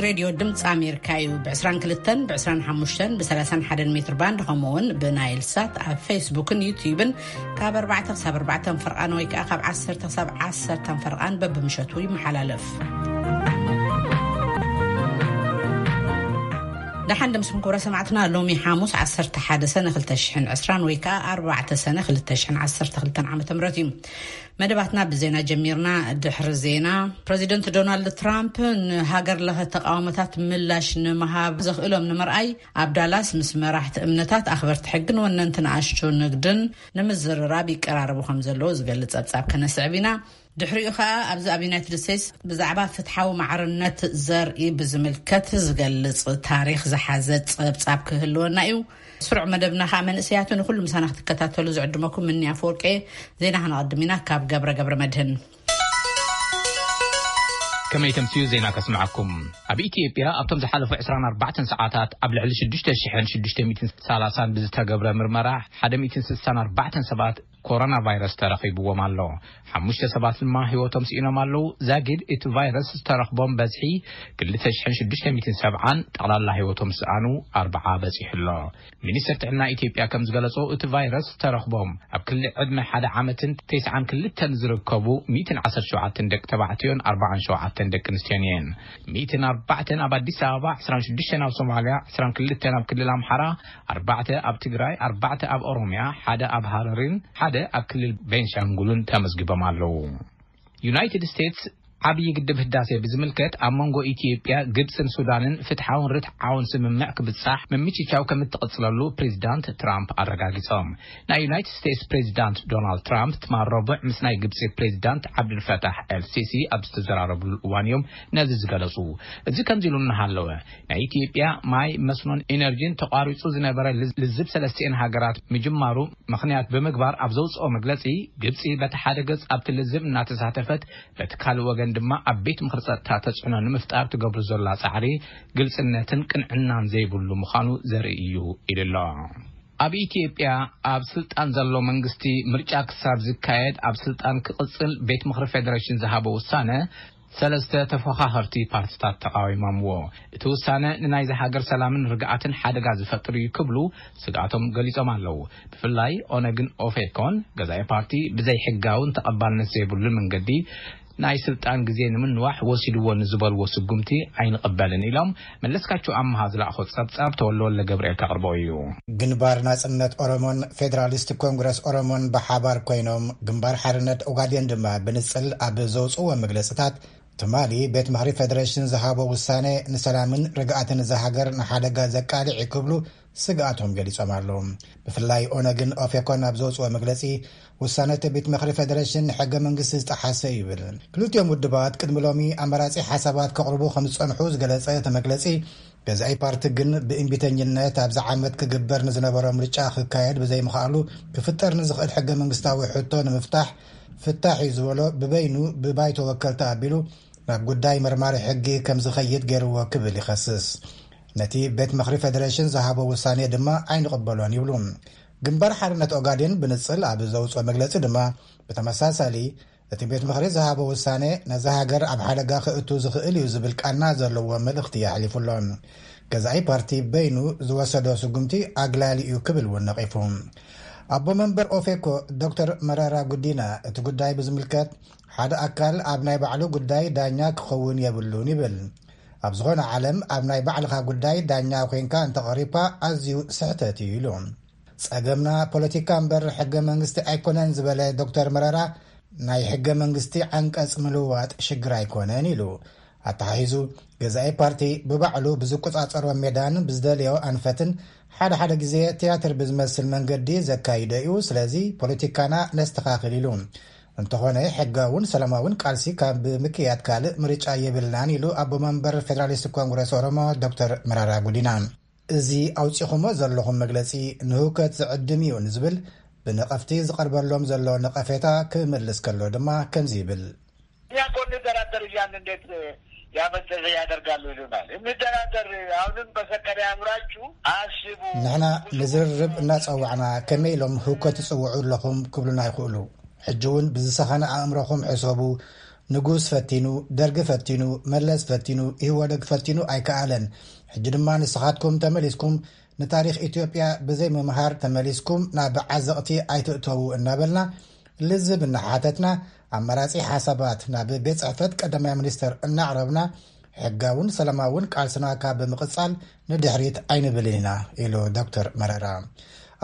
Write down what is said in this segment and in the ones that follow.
ሬድዮ ድምፂ ኣሜሪካ እዩ። ብ22፣ ብ25፣ ብ31 ሜትር ባንድ፣ ከምኡ እውን ብናይል ሳት ኣብ ፌስቡክን ዩትዩብን ካብ ኣርባዕተ ክሳብ ኣርባዕተ ፈርቓን ወይ ከዓ ካብ ዓሰርተ ክሳብ ዓሰርተ ፈርቓን በብምሸቱ ይመሓላለፍ። ደሓን ደምስኩም ክብረ ሰማዕትና፣ ሎሚ ሓሙስ ዓሰርተ ሓደ ሰነ ክልተ ሽሕን ዕስራን ወይ ከዓ ኣርባዕተ ሰነ ክልተ ሽሕን ዓሰርተ ክልተን ዓመተ ምህረት እዩ። መደባትና ብዜና ጀሚርና። ድሕሪ ዜና፣ ፕረዚደንት ዶናልድ ትራምፕ ንሃገር ለኸ ተቃውሞታት ምላሽ ንምሃብ ዘኽእሎም ንምርኣይ ኣብ ዳላስ ምስ መራሕቲ እምነታት፣ ኣኽበርቲ ሕግን ወነንቲ ንኣሽቱ ንግድን ንምዝርራብ ይቀራረቡ ከም ዘለዉ ዝገልጽ ጸብጻብ ከነስዕብ ኢና። ድሕሪኡ ከኣ ኣብዚ ኣብ ዩናይትድ ስቴትስ ብዛዕባ ፍትሓዊ ማዕርነት ዘርኢ ብዝምልከት ዝገልጽ ታሪኽ ዝሓዘ ጸብጻብ ክህልወና እዩ። ስሩዕ መደብና ከኣ መንእሰያቱ ንኹሉ ምሳና ክትከታተሉ ዝዕድመኩም ምኒ ኣፈወርቂ። ዜና ከነቐድም ኢና ካብ ገብረ ገብረ መድህን። ከመይ ተምስዩ ዜና ከስምዓኩም። ኣብ ኢትዮጵያ ኣብቶም ዝሓለፉ ዕስራን ኣርባዕተን ሰዓታት ኣብ ልዕሊ ሽዱሽተ ሽሕን ሽዱሽተ ሚእትን ሰላሳን ብዝተገብረ ምርመራ ሓደ ሚእትን ስሳን ኣርባዕተን ሰባት ኮሮና ቫይረስ ተረኺብዎም ኣሎ። ሓሙሽተ ሰባት ድማ ህይወቶም ስኢኖም ኣለዉ። ዛጊድ እቲ ቫይረስ ዝተረኽቦም በዝሒ ክልተ ሽሕን ሽዱሽተ ሚእትን ሰብዓን፣ ጠቕላላ ህይወቶም ዝሰኣኑ ኣርብዓ በጺሑ ኣሎ። ሚኒስትር ጥዕና ኢትዮጵያ ከም ዝገለጾ፣ እቲ ቫይረስ ዝተረኽቦም ኣብ ክሊ ዕድመ ሓደ ዓመትን ተስዓን ክልተን ዝርከቡ ሚእትን ዓሰርተ ሸውዓተን ደቂ ተባዕትዮን ኣርባዓን ሸውዓተን ደቂ ኣንስትዮን እየን። ሚእትን ኣርባዕተን ኣብ ኣዲስ ኣበባ፣ ዕስራን ሽዱሽተን ኣብ ሶማልያ፣ ዕስራን ክልተን ኣብ ክልል ኣምሓራ፣ ኣርባዕተ ኣብ ትግራይ፣ ኣርባዕተ ኣብ ኦሮምያ፣ ሓደ ኣብ ሃረሪን ሓደ ኣብ ክልል ቤንሻንጉልን ተመዝጊቦም ኣለዉ። ዩናይትድ ስቴትስ ዓብዪ ግድብ ህዳሴ ብዝምልከት ኣብ መንጎ ኢትዮጵያ፣ ግብፅን ሱዳንን ፍትሓውን ርትዓውን ስምምዕ ክብፃሕ ምምችቻው ከም እትቕፅለሉ ፕሬዚዳንት ትራምፕ ኣረጋጊፆም። ናይ ዩናይትድ ስቴትስ ፕሬዚዳንት ዶናልድ ትራምፕ ትማል ረቡዕ ምስ ናይ ግብፂ ፕሬዚዳንት ዓብዱልፈታሕ ኤል ሲሲ ኣብ ዝተዘራረብሉ እዋን እዮም ነዚ ዝገለፁ። እዚ ከምዚ ኢሉ እናሃለወ፣ ናይ ኢትዮጵያ ማይ፣ መስኖን ኢነርጂን ተቋሪፁ ዝነበረ ልዝ-፣ ልዝብ ሰለስቲኤን ሃገራት ምጅማሩ ምኽንያት ብምግባር ኣብ ዘውፅኦ መግለፂ፣ ግብፂ በቲ ሓደ ገፅ ኣብቲ ልዝብ እናተሳተፈት፣ በቲ ካልእ ወገን ድማ ኣብ ቤት ምኽሪ ጸጥታ ተጽዕኖ ንምፍጣር ትገብሩ ዘላ ጻዕሪ ግልጽነትን ቅንዕናን ዘይብሉ ምዃኑ ዘርኢ እዩ ኢሉ ኣሎ። ኣብ ኢትዮጵያ ኣብ ስልጣን ዘሎ መንግስቲ ምርጫ ክሳብ ዝካየድ ኣብ ስልጣን ክቕጽል ቤት ምኽሪ ፌደሬሽን ዝሃቦ ውሳነ ሰለስተ ተፎኻኸርቲ ፓርቲታት ተቓዊሞምዎ። እቲ ውሳነ ንናይዚ ሃገር ሰላምን ርግኣትን ሓደጋ ዝፈጥር እዩ ክብሉ ስግኣቶም ገሊጾም ኣለዉ። ብፍላይ ኦነግን ኦፌኮን ገዛኢ ፓርቲ ብዘይሕጋውን ተቐባልነት ዘይብሉን መንገዲ ናይ ስልጣን ግዜ ንምንዋሕ ወሲድዎ ንዝበልዎ ስጉምቲ ኣይንቕበልን ኢሎም። መለስካቸው ኣምሃ ዝለኣኾ ጸብጻብ ተወልደ ወልደ ገብርኤል ከቕርቦ እዩ። ግንባር ናጽነት ኦሮሞን ፌዴራሊስት ኮንግረስ ኦሮሞን ብሓባር ኮይኖም፣ ግንባር ሓርነት ኦጋዴን ድማ ብንጽል ኣብ ዘውጽእዎ መግለጽታት፣ ትማሊ ቤት ምኽሪ ፌደሬሽን ዝሃቦ ውሳነ ንሰላምን ርግኣትን እዛ ሃገር ንሓደጋ ዘቃልዕ እዩ ክብሉ ስግኣቶም ገሊጾም ኣለዉ። ብፍላይ ኦነግን ኦፌኮን ኣብ ዘውጽኦ መግለጺ፣ ውሳነ እቲ ቤት ምኽሪ ፌደሬሽን ንሕገ መንግስቲ ዝጠሓሰ እዩ ይብል። ክልቲኦም ውድባት ቅድሚ ሎሚ ኣማራጺ ሓሳባት ከቕርቡ ከም ዝጸንሑ ዝገለጸ እቲ መግለጺ፣ ገዛኢ ፓርቲ ግን ብእምቢተኝነት ኣብዚ ዓመት ክግበር ንዝነበሮ ምርጫ ክካየድ ብዘይምኽኣሉ ክፍጠር ንዝኽእል ሕገ መንግስታዊ ሕቶ ንምፍታሕ ፍታሕ እዩ ዝበሎ ብበይኑ ብባይቶ ወከልቲ ኣቢሉ ናብ ጉዳይ መርማሪ ሕጊ ከም ዝኸይድ ገይርዎ ክብል ይኸስስ። ነቲ ቤት ምኽሪ ፌደሬሽን ዝሃቦ ውሳኔ ድማ ኣይንቕበሎን ይብሉ። ግንባር ሓርነት ኦጋዴን ብንጽል ኣብ ዘውጽኦ መግለጺ ድማ ብተመሳሳሊ እቲ ቤት ምኽሪ ዝሃቦ ውሳኔ ነዛ ሃገር ኣብ ሓደጋ ክእቱ ዝኽእል እዩ ዝብል ቃና ዘለዎ መልእኽቲ ኣሕሊፉ ኣሎ። ገዛኢ ፓርቲ በይኑ ዝወሰዶ ስጉምቲ ኣግላሊ እዩ ክብል እውን ነቒፉ። ኣቦ መንበር ኦፌኮ ዶክተር መረራ ጉዲና እቲ ጉዳይ ብዝምልከት ሓደ ኣካል ኣብ ናይ ባዕሉ ጉዳይ ዳኛ ክኸውን የብሉን ይብል። ኣብ ዝኾነ ዓለም ኣብ ናይ ባዕልኻ ጉዳይ ዳኛ ኮይንካ እንተቐሪብካ ኣዝዩ ስሕተት እዩ ኢሉ። ጸገምና ፖለቲካ እምበር ሕገ መንግስቲ ኣይኮነን ዝበለ ዶክተር መረራ፣ ናይ ሕገ መንግስቲ ዓንቀጽ ምልዋጥ ሽግር ኣይኮነን ኢሉ። ኣተሓሒዙ፣ ገዛኢ ፓርቲ ብባዕሉ ብዝቆጻጸሮ ሜዳን ብዝደለዮ ኣንፈትን ሓደ ሓደ ግዜ ትያትር ብዝመስል መንገዲ ዘካይዶ እዩ። ስለዚ ፖለቲካና ነስተኻኽል ኢሉ። እንተኾነ ሕጋውን ሰላማውን ቃልሲ ካብ ምክያድ ካልእ ምርጫ የብልናን ኢሉ ኣቦ መንበር ፌደራሊስት ኮንግረስ ኦሮሞ ዶክተር መራራ ጉዲና። እዚ ኣውጺኹሞ ዘለኹም መግለጺ ንህውከት ዝዕድም እዩ ንዝብል ብነቐፍቲ ዝቐርበሎም ዘሎ ነቐፌታ ክምልስ ከሎ ድማ ከምዚ ይብል። እኛ እኮ እንደራደር እያልን እንዴት ያመዘዘ ያደርጋሉ ይሉናል። እንደራደር፣ አሁንም በሰከነ አእምሯችሁ አስቡ። ንሕና ንዝርርብ እናጸዋዕና ከመይ ኢሎም ህውከት ትጽውዑ ኣለኹም ክብሉና ይኽእሉ። ሕጂ እውን ብዝሰኸነ ኣእምሮኹም ሕሰቡ፣ ንጉስ ፈቲኑ፣ ደርጊ ፈቲኑ፣ መለስ ፈቲኑ፣ ኢህወደግ ፈቲኑ ኣይከኣለን። ሕጂ ድማ ንስኻትኩም ተመሊስኩም ንታሪኽ ኢትዮጵያ ብዘይ ምምሃር ተመሊስኩም ናብ ዓዘቕቲ ኣይትእተዉ እናበልና ልዝብ እናሓተትና ኣማራጺ ሓሳባት ናብ ቤት ጽሕፈት ቀዳማይ ሚኒስተር እናቕረብና ሕጋውን ሰላማውን ቃልስና ካብ ብምቕጻል ንድሕሪት ኣይንብልን ኢና ኢሉ ዶክተር መረራ።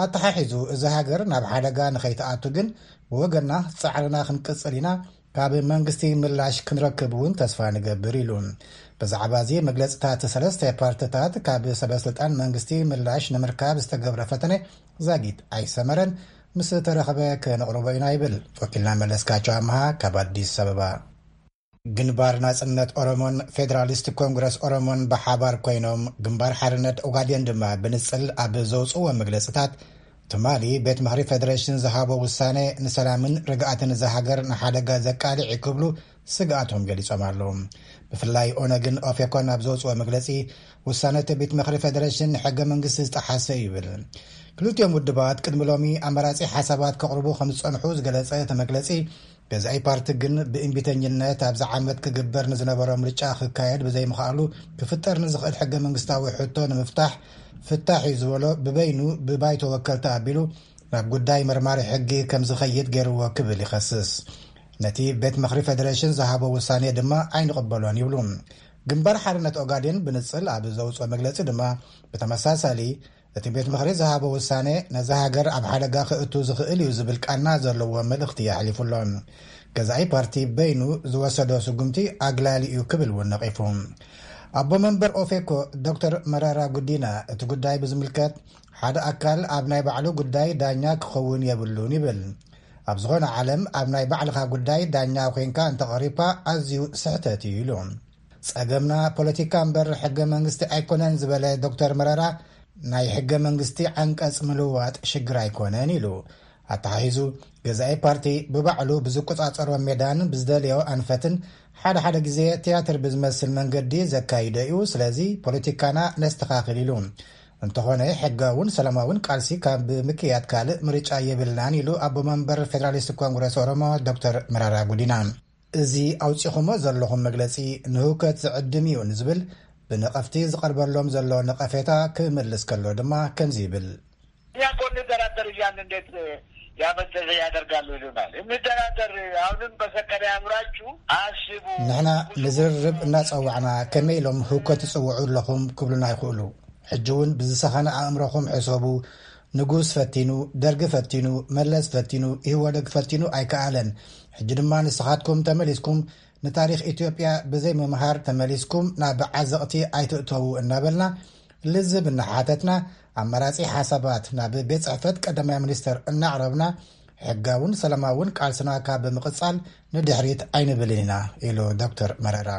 ኣተሓሒዙ እዚ ሃገር ናብ ሓደጋ ንኸይትኣቱ ግን ብወገና ጻዕርና ክንቅጽል ኢና፣ ካብ መንግስቲ ምላሽ ክንረክብ እውን ተስፋ ንገብር ኢሉ። ብዛዕባ እዚ መግለጽታት ሰለስተ ፓርትታት ካብ ሰበስልጣን መንግስቲ ምላሽ ንምርካብ ዝተገብረ ፈተነ ዛጊት ኣይሰመረን። ምስ ተረኸበ ከነቕርቦ ኢና ይብል ወኪልና መለስካቸው ኣምሃ ካብ ኣዲስ ኣበባ። ግንባር ናጽነት ኦሮሞን ፌዴራሊስት ኮንግረስ ኦሮሞን ብሓባር ኮይኖም ግንባር ሓርነት ኦጋዴን ድማ ብንጽል ኣብ ዘውፅዎ መግለጽታት ትማሊ ቤት ምኽሪ ፌዴሬሽን ዝሃቦ ውሳነ ንሰላምን ርግኣትን እዛ ሃገር ንሓደጋ ዘቃልዕ እዩ ክብሉ ስግኣቶም ገሊጾም ኣለዉ። ብፍላይ ኦነግን ኦፌኮን ኣብ ዘውፅዎ መግለጺ ውሳነ እቲ ቤት ምኽሪ ፌዴሬሽን ንሕገ መንግስቲ ዝጠሓሰ እዩ ይብል። ክልቲኦም ውድባት ቅድሚ ሎሚ ኣማራጺ ሓሳባት ከቕርቡ ከም ዝጸንሑ ዝገለጸ እቲ መግለጺ ገዛኢ ፓርቲ ግን ብእምቢተኝነት ኣብዚ ዓመት ክግበር ንዝነበሮ ምርጫ ክካየድ ብዘይምኽኣሉ ክፍጠር ንዝኽእል ሕገ መንግስታዊ ሕቶ ንምፍታሕ ፍታሕ እዩ ዝበሎ ብበይኑ ብባይቶ ወከልቲ ኣቢሉ ናብ ጉዳይ መርማሪ ሕጊ ከም ዝኸይድ ገይርዎ ክብል ይኸስስ። ነቲ ቤት ምኽሪ ፌዴሬሽን ዝሃቦ ውሳኔ ድማ ኣይንቕበሎን ይብሉ። ግንባር ሓርነት ኦጋዴን ብንጽል ኣብ ዘውፅኦ መግለጺ ድማ ብተመሳሳሊ እቲ ቤት ምኽሪ ዝሃቦ ውሳኔ ነዛ ሃገር ኣብ ሓደጋ ክእቱ ዝኽእል እዩ ዝብል ቃና ዘለዎ መልእኽቲ ኣሕሊፉ ኣሎ። ገዛኢ ፓርቲ በይኑ ዝወሰዶ ስጉምቲ ኣግላሊ እዩ ክብል እውን ነቒፉ። ኣቦ መንበር ኦፌኮ ዶክተር መረራ ጉዲና እቲ ጉዳይ ብዝምልከት ሓደ ኣካል ኣብ ናይ ባዕሉ ጉዳይ ዳኛ ክኸውን የብሉን ይብል። ኣብ ዝኾነ ዓለም ኣብ ናይ ባዕልኻ ጉዳይ ዳኛ ኮይንካ እንተቐሪብካ ኣዝዩ ስሕተት እዩ ኢሉ። ጸገምና ፖለቲካ እምበር ሕገ መንግስቲ ኣይኮነን ዝበለ ዶክተር መረራ ናይ ሕገ መንግስቲ ዓንቀጽ ምልዋጥ ሽግር ኣይኮነን ኢሉ። ኣተሓሒዙ ገዛኢ ፓርቲ ብባዕሉ ብዝቆጻጸሮ ሜዳን ብዝደልዮ ኣንፈትን ሓደ ሓደ ግዜ ትያትር ብዝመስል መንገዲ ዘካይዶ እዩ። ስለዚ ፖለቲካና ነስተኻኽል ኢሉ። እንተኾነ ሕጋውን ሰላማውን ቃልሲ ካብ ምክያድ ካልእ ምርጫ የብልናን ኢሉ ኣቦ መንበር ፌዴራሊስት ኮንግረስ ኦሮሞ ዶክተር መራራ ጉዲና። እዚ ኣውጺኹሞ ዘለኹም መግለጺ ንህውከት ዝዕድም እዩ ንዝብል ብነቐፍቲ ዝቐርበሎም ዘሎ ነቐፌታ ክምልስ ከሎ ድማ ከምዚ ይብል። እኛ እኮ እንደራደር እያልን እንዴት ያመዘዘ ያደርጋሉ ይሉናል። እንደራደር አሁንም በሰከነ አእምሯችሁ አስቡ። ንሕና ንዝርርብ እናጸዋዕና ከመይ ኢሎም ህውከት ትጽውዑ ኣለኹም ክብሉና ይኽእሉ። ሕጂ እውን ብዝሰኸነ ኣእምሮኹም ሕሰቡ። ንጉስ ፈቲኑ፣ ደርጊ ፈቲኑ፣ መለስ ፈቲኑ፣ ኢህወደግ ፈቲኑ ኣይከኣለን። ሕጂ ድማ ንስኻትኩም ተመሊስኩም ንታሪኽ ኢትዮጵያ ብዘይ ምምሃር ተመሊስኩም ናብ ዓዘቕቲ ኣይትእተዉ እናበልና ልዝብ እናሓተትና ኣማራጺ ሓሳባት ናብ ቤት ጽሕፈት ቀዳማይ ሚኒስተር እናቕረብና ሕጋውን ሰላማውን ቃልስና ካብ ብምቕጻል ንድሕሪት ኣይንብልን ኢና ኢሉ ዶክተር መረራ።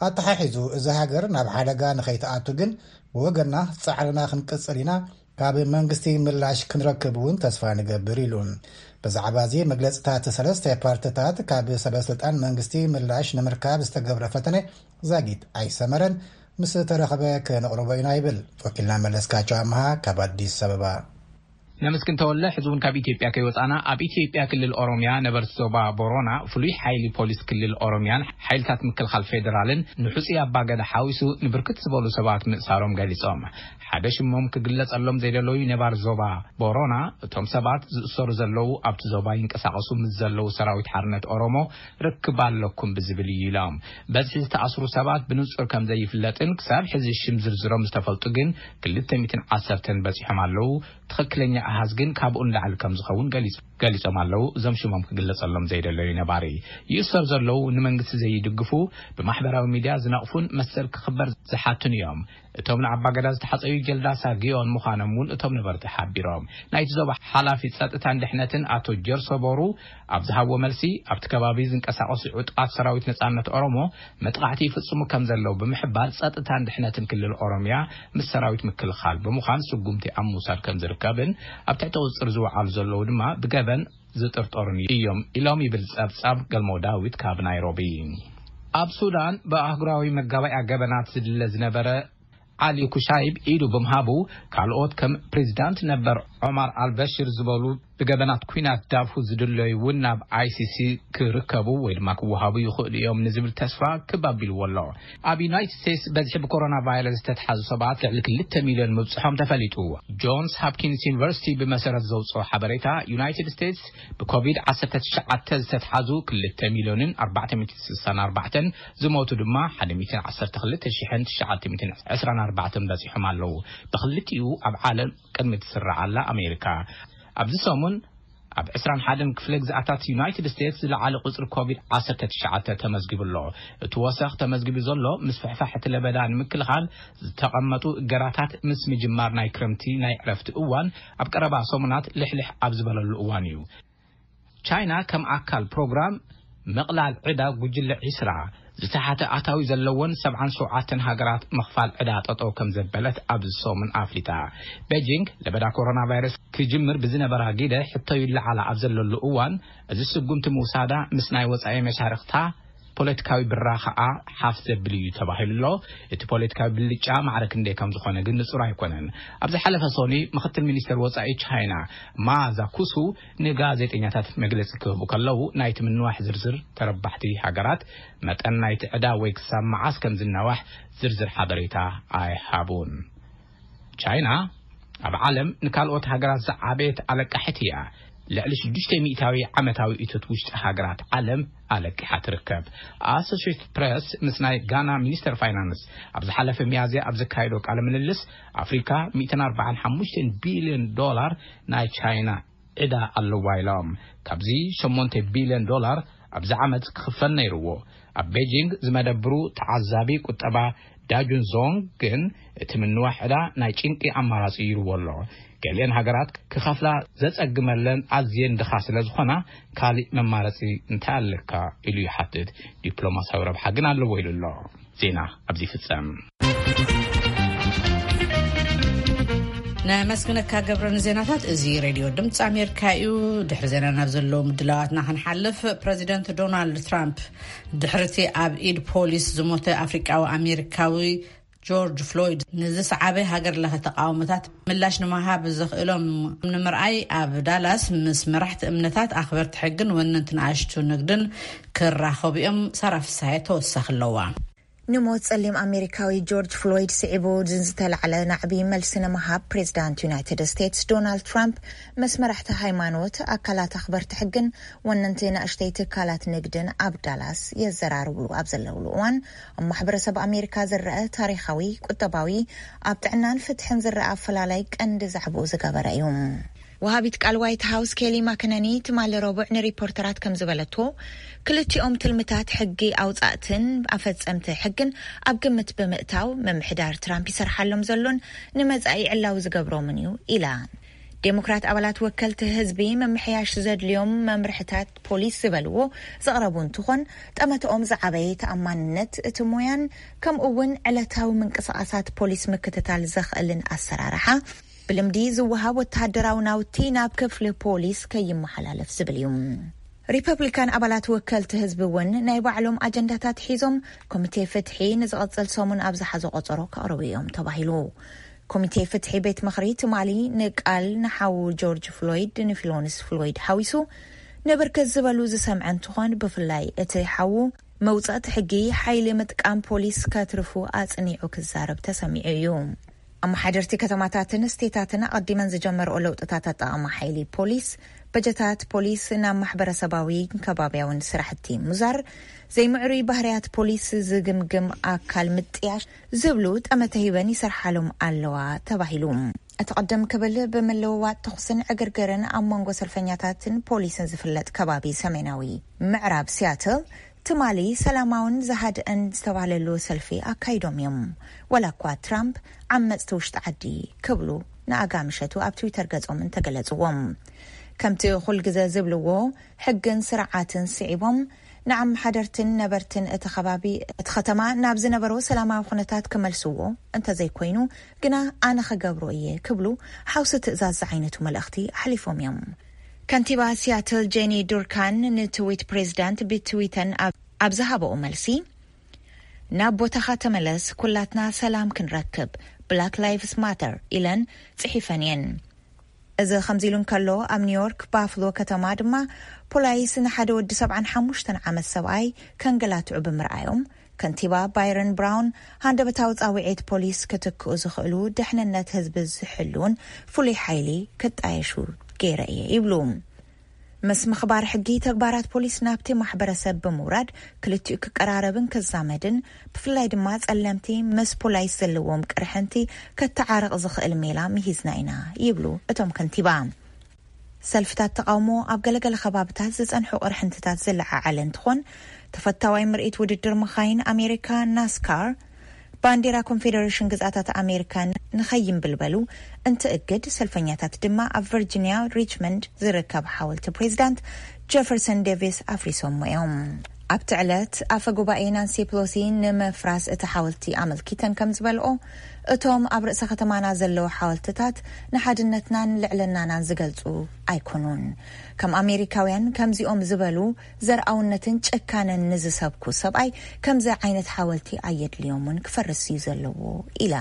ኣተሓሒዙ እዚ ሃገር ናብ ሓደጋ ንኸይትኣቱ ግን ብወገና ጻዕርና ክንቅጽል ኢና፣ ካብ መንግስቲ ምላሽ ክንረክብ እውን ተስፋ ንገብር ኢሉ። ብዛዕባ እዚ መግለጽታት ሰለስተ ፓርትታት ካብ ሰበስልጣን መንግስቲ ምላሽ ንምርካብ ዝተገብረ ፈተነ ዛጊት ኣይሰመረን። ምስ ተረኸበ ከነቕርቦ ኢና ይብል ወኪልና መለስካቸው ኣምሃ ካብ ኣዲስ ኣበባ። ነመስግን ተወለ። ሕዚ እውን ካብ ኢትዮጵያ ከይወፃና ኣብ ኢትዮጵያ ክልል ኦሮሚያ ነበርቲ ዞባ ቦሮና ፍሉይ ሓይሊ ፖሊስ ክልል ኦሮሚያን ሓይልታት ምክልኻል ፌዴራልን ንሕፁይ ኣባገዳ ሓዊሱ ንብርክት ዝበሉ ሰባት ምእሳሮም ገሊፆም። ሓደ ሽሞም ክግለፀሎም ዘይደለዩ ነባር ዞባ ቦሮና እቶም ሰባት ዝእሰሩ ዘለዉ ኣብቲ ዞባ ይንቀሳቐሱ ምስ ዘለዉ ሰራዊት ሓርነት ኦሮሞ ርክብ ኣለኩም ብዝብል እዩ ኢሎም። በዝሒ ዝተኣስሩ ሰባት ብንፁር ከም ዘይፍለጥን ክሳብ ሕዚ ሽም ዝርዝሮም ዝተፈልጡ ግን ክልተ ሚእትን ዓሰርተን በፂሖም ኣለዉ። ትኽክለኛ ኣሃዝ ግን ካብኡ ንላዕሊ ከም ዝኸውን ገሊጾም ኣለዉ። እዞም ሽሞም ክግለጸሎም ዘይደለዩ ነባሪ ይእሰር ዘለዉ ንመንግስቲ ዘይድግፉ፣ ብማሕበራዊ ሚድያ ዝነቕፉን መሰል ክኽበር ዝሓቱን እዮም። እቶም ንኣባገዳ ዝተሓጸዩ ጀልዳሳ ግዮን ምዃኖም እውን እቶም ነበርቲ ሓቢሮም። ናይቲ ዞባ ሓላፊ ጸጥታን ድሕነትን ኣቶ ጀርሶ ቦሩ ኣብ ዝሃብዎ መልሲ ኣብቲ ከባቢ ዝንቀሳቐሱ ዕጡቓት ሰራዊት ነጻነት ኦሮሞ መጥቓዕቲ ይፍጽሙ ከም ዘለዉ ብምሕባር ጸጥታን ድሕነትን ክልል ኦሮሚያ ምስ ሰራዊት ምክልኻል ብምዃን ስጉምቲ ኣብ ምውሳድ ከም ዝርከብን ኣብ ትሕቲ ቁፅፅር ዝወዓሉ ዘለዉ ድማ ብገበን ዝጥርጠሩን እዮም ኢሎም ይብል ፀብፃብ ገልሞ ዳዊት ካብ ናይሮቢ። ኣብ ሱዳን ብኣህጉራዊ መጋባእያ ገበናት ዝድለ ዝነበረ ዓሊ ኩሻይብ ኢዱ ብምሃቡ ካልኦት ከም ፕሬዚዳንት ነበር ዖማር ኣልበሽር ዝበሉ ብገበናት ኲናት ዳርፉር ዝድለዩ እውን ናብ ኣይሲሲ ክርከቡ ወይ ድማ ክወሃቡ ይኽእሉ እዮም ንዝብል ተስፋ ክብ ኣቢልዎ ኣሎ። ኣብ ዩናይትድ ስቴትስ በዝሒ ብኮሮና ቫይረስ ዝተትሓዙ ሰባት ልዕሊ ክልተ ሚልዮን ምብፅሖም ተፈሊጡ። ጆንስ ሃፕኪንስ ዩኒቨርሲቲ ብመሰረት ዘውፅኦ ሓበሬታ፣ ዩናይትድ ስቴትስ ብኮቪድ ዓሰርተ ትሽዓተ ዝተትሓዙ ክልተ ሚልዮንን ኣርባዕተ ሚእትን ስሳን ኣርባዕተን፣ ዝሞቱ ድማ ሓደ ሚእትን ዓሰርተ ክልተ ሽሕን ትሽዓተ ሚእትን ዕስራን ኣርባዕተን በፂሖም ኣለዉ። ብክልቲኡ ኣብ ዓለም ቅድሚ ትስራዓላ ኣሜሪካ፣ ኣብዚ ሰሙን ኣብ ዕስራን ሓደን ክፍለ ግዝኣታት ዩናይትድ ስቴትስ ዝለዓለ ቁጽሪ ኮቪድ ዓሰርተ ትሽዓተ ተመዝጊቡ ኣሎ። እቲ ወሰኽ ተመዝጊቡ ዘሎ ምስፍሕፋሕ እቲ ለበዳ ንምክልኻል ዝተቐመጡ እገዳታት ምስ ምጅማር ናይ ክረምቲ ናይ ዕረፍቲ እዋን ኣብ ቀረባ ሰሙናት ልሕልሕ ኣብ ዝበለሉ እዋን እዩ። ቻይና ከም ኣካል ፕሮግራም ምቕላል ዕዳ ጉጅለ ዒስራ ዝተሓተ ኣታዊ ዘለወን ሰብዓን ሸውዓተን ሃገራት ምኽፋል ዕዳ ጠጠው ከም ዘበለት ኣብዚ ሰሙን ኣፍሊጣ። ቤጂንግ ለበዳ ኮሮና ቫይረስ ክጅምር ብዝነበራ ግደ ሕቶ ይለዓላ ኣብ ዘለሉ እዋን፣ እዚ ስጉምቲ ምውሳዳ ምስ ናይ ወጻኢ መሻርኽታ ፖለቲካዊ ብራኸኣ ሓፍ ዘብል እዩ ተባሂሉ ኣሎ። እቲ ፖለቲካዊ ብልጫ ማዕረ ክንደይ ከም ዝኾነ ግን ንጹር ኣይኮነን። ኣብ ዝሓለፈ ሰኑይ ምኽትል ሚኒስተር ወጻኢ ቻይና ማ ዛኩሱ ንጋዜጠኛታት መግለጺ ክህቡ ከለዉ፣ ናይቲ ምንዋሕ ዝርዝር ተረባሕቲ ሃገራት፣ መጠን ናይቲ ዕዳ ወይ ክሳብ መዓስ ከም ዝናዋሕ ዝርዝር ሓበሬታ ኣይሃቡን። ቻይና ኣብ ዓለም ንካልኦት ሃገራት ዝዓበየት ኣለቃሒት እያ። ልዕሊ ሽዱሽተ ሚእታዊ ዓመታዊ እቶት ውሽጢ ሃገራት ዓለም ኣለቂሓ ትርከብ። ኣሶሽየትድ ፕሬስ ምስ ናይ ጋና ሚኒስተር ፋይናንስ ኣብ ዝሓለፈ ሚያዝያ ኣብ ዘካየዶ ቃለ ምልልስ፣ ኣፍሪካ ሚእትን ኣርባዓን ሓሙሽተን ቢልዮን ዶላር ናይ ቻይና ዕዳ ኣለዋ ኢሎም። ካብዚ ሸሞንተ ቢልዮን ዶላር ኣብዚ ዓመት ክኽፈል ነይርዎ። ኣብ ቤጂንግ ዝመደብሩ ተዓዛቢ ቁጠባ ዳጁን ዞንግ ግን፣ እቲ ምንዋሕ ዕዳ ናይ ጭንቂ ኣማራጺ ይርዎ ኣሎ። ገሊአን ሃገራት ክኸፍላ ዘጸግመለን ኣዝየን ድኻ ስለ ዝኾና፣ ካልእ መማረጺ እንታይ ኣለካ ኢሉ ይሓትት። ዲፕሎማሲያዊ ረብሓ ግን ኣለዎ ኢሉ ኣሎ። ዜና ኣብዚ ይፍጸም። ነመስግነካ ገብረ ንዜናታት። እዚ ሬድዮ ድምፂ ኣሜሪካ እዩ። ድሕሪ ዜና ናብ ዘለዉ ምድላዋትና ክንሓልፍ፣ ፕረዚደንት ዶናልድ ትራምፕ ድሕርቲ ኣብ ኢድ ፖሊስ ዝሞተ ኣፍሪቃዊ ኣሜሪካዊ ጆርጅ ፍሎይድ ንዝሰዓበ ሃገር ለኸ ተቃውሞታት ምላሽ ንምሃብ ዘኽእሎም ንምርኣይ ኣብ ዳላስ ምስ መራሕቲ እምነታት፣ ኣኽበርቲ ሕግን ወነንቲ ንኣሽቱ ንግድን ክራኸቡ እዮም። ሳራ ፍሳሐ ተወሳኺ ኣለዋ። ንሞት ጸሊም ኣሜሪካዊ ጆርጅ ፍሎይድ ስዒቡ ንዝተላዕለ ናዕቢ መልሲ ንምሃብ፣ ፕሬዚዳንት ዩናይትድ ስቴትስ ዶናልድ ትራምፕ ምስ መራሕቲ ሃይማኖት፣ ኣካላት ኣኽበርቲ ሕግን ወነንቲ ንእሽተይ ትካላት ንግድን ኣብ ዳላስ የዘራርብሉ ኣብ ዘለውሉ እዋን፣ ኣብ ማሕበረሰብ ኣሜሪካ ዝረአ ታሪኻዊ፣ ቁጠባዊ፣ ኣብ ጥዕናን ፍትሕን ዝረአ ኣፈላላይ ቀንዲ ዛዕባኡ ዝገበረ እዩ። ወሃቢት ቃል ዋይት ሃውስ ኬሊ ማክነኒ ትማሊ ረቡዕ ንሪፖርተራት ከም ዝበለቶ፣ ክልቲኦም ትልምታት ሕጊ ኣውጻእትን ኣፈጸምቲ ሕግን ኣብ ግምት ብምእታው፣ ምምሕዳር ትራምፕ ይሰርሓሎም ዘሎን ንመጻኢ ዕላዊ ዝገብሮምን እዩ ኢላ። ዴሞክራት ኣባላት ወከልቲ ህዝቢ ምምሕያሽ ዘድልዮም መምርሕታት ፖሊስ ዝበልዎ ዘቕረቡ እንትኾን፣ ጠመተኦም ዝዓበየ ተኣማንነት እቲ ሞያን ከምኡ እውን ዕለታዊ ምንቅስቓሳት ፖሊስ ምክትታል ዘኽእልን ኣሰራርሓ፣ ብልምዲ ዝወሃብ ወተሃደራዊ ናውቲ ናብ ክፍሊ ፖሊስ ከይመሓላለፍ ዝብል እዩ። ሪፐብሊካን ኣባላት ወከልቲ ህዝቢ እውን ናይ ባዕሎም ኣጀንዳታት ሒዞም፣ ኮሚቴ ፍትሒ ንዝቐጽል ሰሙን ኣብ ዝሓዞ ቆጸሮ ከቕርቡ እዮም ተባሂሉ። ኮሚቴ ፍትሒ ቤት ምኽሪ ትማሊ ንቃል ንሓዉ ጆርጅ ፍሎይድ፣ ንፊሎንስ ፍሎይድ ሓዊሱ፣ ንብርክት ዝበሉ ዝሰምዐ እንትኾን፣ ብፍላይ እቲ ሓዉ መውጻእቲ ሕጊ ሓይሊ ምጥቃም ፖሊስ ከትርፉ ኣጽኒዑ ክዛረብ ተሰሚዑ እዩ። ኣመሓደርቲ ከተማታትን ስቴታትን ኣቐዲመን ዝጀመርኦ ለውጥታት ኣጠቓቕማ ሓይሊ ፖሊስ፣ በጀታት ፖሊስ ናብ ማሕበረሰባዊ ከባቢያውን ስራሕቲ ምዛር፣ ዘይምዕሩይ ባህርያት ፖሊስ ዝግምግም ኣካል ምጥያሽ ዝብሉ ጠመተ ሂበን ይሰርሓሎም ኣለዋ ተባሂሉ። እቲ ቅድም ክብል ብምልውዋጥ ተኹስን ዕግርግርን ኣብ መንጎ ሰልፈኛታትን ፖሊስን ዝፍለጥ ከባቢ ሰሜናዊ ምዕራብ ሲያትል ትማሊ ሰላማውን ዝሃድአን ዝተባህለሉ ሰልፊ ኣካይዶም እዮም። ወላ እኳ ትራምፕ ዓመፅቲ ውሽጢ ዓዲ ክብሉ ንኣጋ ምሸቱ ኣብ ትዊተር ገጾም እንተገለጽዎም፣ ከምቲ ኩል ግዘ ዝብልዎ፣ ሕግን ስርዓትን ስዒቦም ንኣመሓደርትን ነበርትን እቲ ከባቢ፣ እቲ ከተማ ናብ ዝነበሮ ሰላማዊ ኩነታት ክመልስዎ፣ እንተዘይኮይኑ ግና ኣነ ክገብሮ እየ ክብሉ ሓውሲ ትእዛዝ ዝዓይነቱ መልእኽቲ ኣሕሊፎም እዮም። ከንቲባ ሲያትል ጄኒ ዱርካን ንትዊት ፕሬዚዳንት ብትዊተን ኣብ፣ ኣብ ዝሃበኦ መልሲ፣ ናብ ቦታኻ ተመለስ፣ ኩላትና ሰላም ክንረክብ፣ ብላክ ላይቭስ ማተር ኢለን ጽሒፈን እየን። እዚ ከምዚ ኢሉ እንከሎ፣ ኣብ ኒውዮርክ ባፍሎ ከተማ ድማ ፖላይስ ንሓደ ወዲ ሰብዓን ሓሙሽተን ዓመት ሰብኣይ ከንገላትዑ ብምርኣዮም፣ ከንቲባ ባይረን ብራውን ሃንደበታዊ ጻውዒት ፖሊስ ክትክኡ ዝኽእሉ፣ ድሕንነት ህዝቢ ዝሕልውን ፍሉይ ሓይሊ ክጣየሹ ገይረ እየ ይብሉ። ምስ ምኽባር ሕጊ፣ ተግባራት ፖሊስ ናብቲ ማሕበረሰብ ብምውራድ ክልቲኡ ክቀራረብን ክዛመድን፣ ብፍላይ ድማ ጸለምቲ ምስ ፖላይስ ዘለዎም ቅርሕንቲ ከተዓርቕ ዝኽእል ሜላ ምሂዝና ኢና ይብሉ እቶም ከንቲባ። ሰልፍታት ተቓውሞ ኣብ ገለገለ ከባብታት ዝጸንሑ ቅርሕንትታት ዘለዓዓለ እንትኾን፣ ተፈታዋይ ምርኢት ውድድር መኻይን ኣሜሪካ ናስካር ባንዲራ ኮንፌደሬሽን ግዝኣታት ኣሜሪካ ንኸይንብልበሉ እንትእግድ፣ ሰልፈኛታት ድማ ኣብ ቨርጂኒያ ሪችመንድ ዝርከብ ሓወልቲ ፕሬዚዳንት ጀፈርሰን ዴቪስ ኣፍሪሶሞ እዮም። ኣብቲ ዕለት ኣፈ ጉባኤ ናንሲ ፕሎሲ ንምፍራስ እቲ ሓወልቲ ኣመልኪተን ከም ዝበልኦ፣ እቶም ኣብ ርእሰ ከተማና ዘለዉ ሓወልትታት ንሓድነትናን ልዕልናናን ዝገልጹ ኣይኮኑን። ከም ኣሜሪካውያን ከምዚኦም ዝበሉ ዘርኣውነትን ጭካነን ንዝሰብኩ ሰብኣይ ከምዚ ዓይነት ሓወልቲ ኣየድልዮምን፣ ክፈርስ እዩ ዘለዎ ኢላ።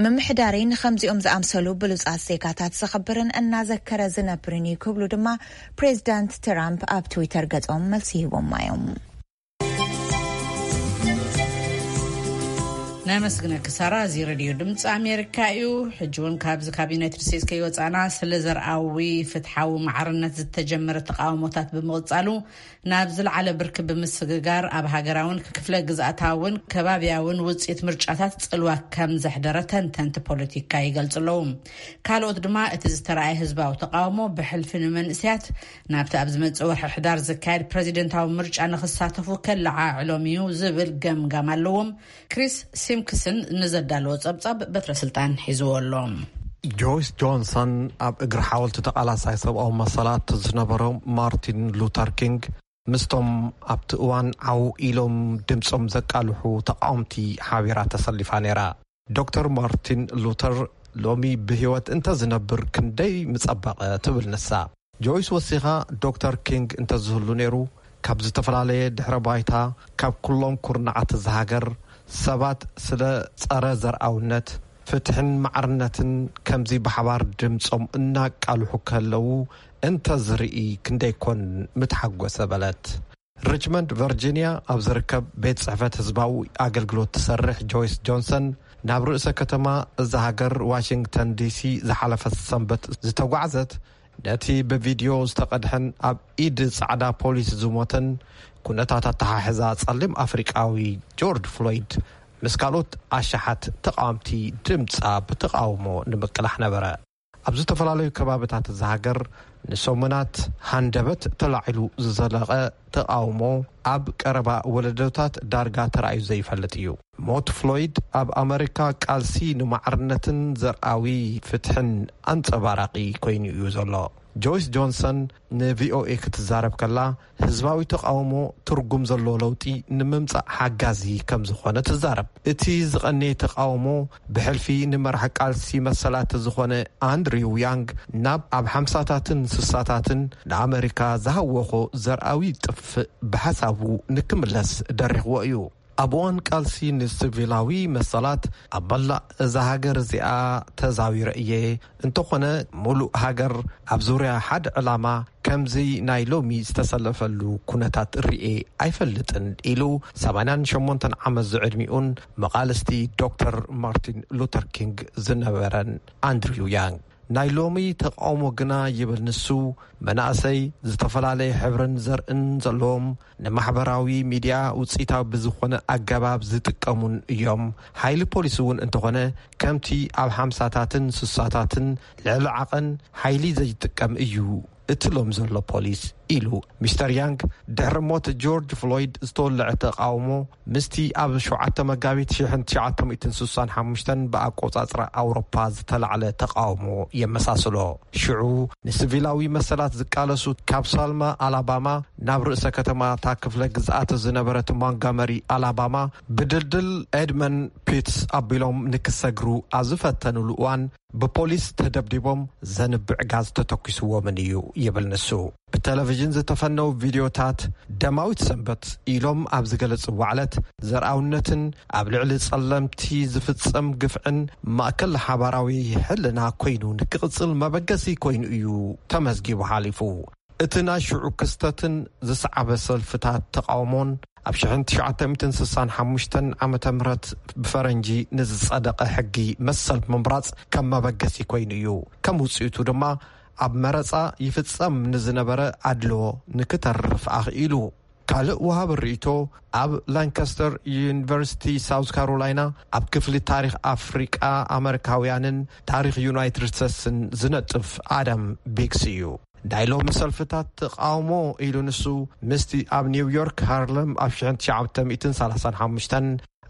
ምምሕዳረይ ንኸምዚኦም ዝኣምሰሉ ብሉጻት ዜጋታት ዘኽብርን እናዘከረ ዝነብርን እዩ ክብሉ ድማ ፕሬዚዳንት ትራምፕ ኣብ ትዊተር ገጾም መልሲ ሂቦማ እዮም። ነመስግነኪ ሳራ። እዚ ሬድዮ ድምፂ ኣሜሪካ እዩ። ሕጂ እውን ካብዚ ካብ ዩናይትድ ስቴትስ ከይወፃና፣ ስለ ዘርኣዊ ፍትሓዊ ማዕርነት ዝተጀመረ ተቃውሞታት ብምቕፃሉ ናብ ዝለዓለ ብርኪ ብምስግጋር፣ ኣብ ሃገራውን ክፍለ ግዝኣታውን ከባቢያውን ውፅኢት ምርጫታት ፅልዋ ከም ዘሕደረ ተንተንቲ ፖለቲካ ይገልፁ ኣለዉ። ካልኦት ድማ እቲ ዝተረኣየ ህዝባዊ ተቃውሞ ብሕልፊ ንመንእሰያት ናብቲ ኣብ ዝመፅእ ወርሒ ሕዳር ዝካየድ ፕሬዚደንታዊ ምርጫ ንክሳተፉ ከለዓዕሎም እዩ ዝብል ገምጋም ኣለዎም። ክሪስ ሲምክስን ንዘዳለዎ ጸብጻብ በትረ ስልጣን ሒዝዎ ኣሎ። ጆይስ ጆንሰን ኣብ እግሪ ሓወልቲ ተቓላሳይ ሰብኣዊ መሰላት ዝነበረ ማርቲን ሉተር ኪንግ ምስቶም ኣብቲ እዋን ዓው ኢሎም ድምጾም ዘቃልሑ ተቃወምቲ ሓቢራ ተሰሊፋ ነይራ። ዶክተር ማርቲን ሉተር ሎሚ ብህይወት እንተዝነብር ክንደይ ምጸበቐ ትብል ንሳ። ጆይስ ወሲኻ፣ ዶክተር ኪንግ እንተዝህሉ ነይሩ፣ ካብ ዝተፈላለየ ድሕረ ባይታ፣ ካብ ኩሎም ኩርናዓት እዛ ሃገር ሰባት ስለ ጸረ ዘርኣውነት፣ ፍትሕን ማዕርነትን ከምዚ ብሓባር ድምጾም እናቃልሑ ከለዉ እንተዝርኢ ክንደይ ኮን ምተሓጎሰ በለት። ሪችመንድ ቨርጂንያ ኣብ ዝርከብ ቤት ጽሕፈት ህዝባዊ ኣገልግሎት ትሰርሕ ጆይስ ጆንሰን ናብ ርእሰ ከተማ እዛ ሃገር ዋሽንግተን ዲሲ ዝሓለፈ ሰንበት ዝተጓዕዘት ነቲ ብቪድዮ ዝተቐድሐን ኣብ ኢድ ጻዕዳ ፖሊስ ዝሞተን ኩነታት ኣተሓሕዛ ጸሊም ኣፍሪቃዊ ጆርጅ ፍሎይድ ምስ ካልኦት ኣሽሓት ተቓወምቲ ድምጻ ብተቓውሞ ንምቅላሕ ነበረ። ኣብ ዝተፈላለዩ ከባብታት እዛ ሃገር ንሰሙናት ሃንደበት ተላዒሉ ዝዘለቐ ተቓውሞ ኣብ ቀረባ ወለዶታት ዳርጋ ተራእዩ ዘይፈልጥ እዩ። ሞት ፍሎይድ ኣብ ኣመሪካ ቃልሲ ንማዕርነትን ዘርኣዊ ፍትሕን ኣንጸባራቒ ኮይኑ እዩ ዘሎ። ጆይስ ጆንሰን ንቪኦኤ ክትዛረብ ከላ፣ ህዝባዊ ተቓውሞ ትርጉም ዘለዎ ለውጢ ንምምጻእ ሓጋዚ ከም ዝኾነ ትዛረብ። እቲ ዝቐነየ ተቓውሞ ብሕልፊ ንመራሕ ቃልሲ መሰላት ዝኾነ ኣንድሪው ያንግ ናብ ኣብ ሓምሳታትን ስሳታትን ንኣመሪካ ዝሃወኾ ዘርኣዊ ጥፍእ ብሓሳቡ ንክምለስ ደሪኽዎ እዩ። ኣብ እዋን ቃልሲ ንሲቪላዊ መሰላት ኣብ መላእ እዛ ሃገር እዚኣ ተዛዊረ እየ። እንተኾነ፣ ሙሉእ ሃገር ኣብ ዙርያ ሓደ ዕላማ ከምዚ ናይ ሎሚ ዝተሰለፈሉ ኩነታት ርእየ ኣይፈልጥን ኢሉ ሰማንያን ሸሞንተን ዓመት ዝዕድሚኡን መቓልስቲ ዶክተር ማርቲን ሉተር ኪንግ ዝነበረን ኣንድሪው ያንግ። ናይ ሎሚ ተቓውሞ ግና ይብል ንሱ፣ መናእሰይ ዝተፈላለየ ሕብርን ዘርእን ዘለዎም ንማሕበራዊ ሚድያ ውፅኢታዊ ብዝኾነ ኣገባብ ዝጥቀሙን እዮም። ሓይሊ ፖሊስ እውን እንተኾነ ከምቲ ኣብ ሓምሳታትን ስሳታትን ልዕሊ ዓቐን ሓይሊ ዘይጥቀም እዩ እቲ ሎም ዘሎ ፖሊስ ኢሉ። ሚስተር ያንግ ድሕሪ ሞት ጆርጅ ፍሎይድ ዝተወለዐ ተቓውሞ ምስቲ ኣብ ሸውዓተ መጋቢት ሽሕን ትሽዓተ ሚእትን ስሳን ሓሙሽተን ብኣቆጻጽራ ኣውሮፓ ዝተላዕለ ተቓውሞ የመሳስሎ። ሽዑ ንሲቪላዊ መሰላት ዝቃለሱ ካብ ሳልማ ኣላባማ ናብ ርእሰ ከተማታ ክፍለ ግዝኣት ዝነበረት ሞንጋመሪ ኣላባማ ብድልድል ኤድመን ፒትስ ኣቢሎም ንክሰግሩ ኣብ ዝፈተኑሉ እዋን ብፖሊስ ተደብዲቦም ዘንብዕ ጋዝ ተተኪስዎምን እዩ ይብል ንሱ። ብቴሌቪዥን ዝተፈነው ቪድዮታት ደማዊት ሰንበት ኢሎም ኣብ ዝገለጽዎ ዕለት፣ ዘርኣውነትን ኣብ ልዕሊ ጸለምቲ ዝፍጸም ግፍዕን ማእከል ሓባራዊ ሕልና ኮይኑ ንክቕጽል መበገሲ ኮይኑ እዩ ተመዝጊቡ ሓሊፉ። እቲ ናይ ሽዑ ክስተትን ዝሰዓበ ሰልፍታት ተቓውሞን ኣብ ሽሕን ትሽዓተ ሚእትን ስሳን ሓሙሽተን ዓመተ ምህረት ብፈረንጂ ንዝጸደቐ ሕጊ መሰል ምምራጽ ከም መበገሲ ኮይኑ እዩ። ከም ውጽኢቱ ድማ ኣብ መረጻ ይፍጸም ንዝነበረ ኣድልዎ ንክተርፍ ኣኽኢሉ። ካልእ ወሃቢ ርእይቶ ኣብ ላንካስተር ዩኒቨርሲቲ ሳውዝ ካሮላይና ኣብ ክፍሊ ታሪኽ ኣፍሪቃ ኣመሪካውያንን ታሪኽ ዩናይትድ ስቴትስን ዝነጥፍ ኣዳም ቢግስ እዩ። ናይ ሎሚ ሰልፍታት ተቃውሞ ኢሉ ንሱ ምስቲ ኣብ ኒውዮርክ ሃርለም ኣብ ሽሕን ትሽዓተ ሚእትን ሰላሳን ሓሙሽተን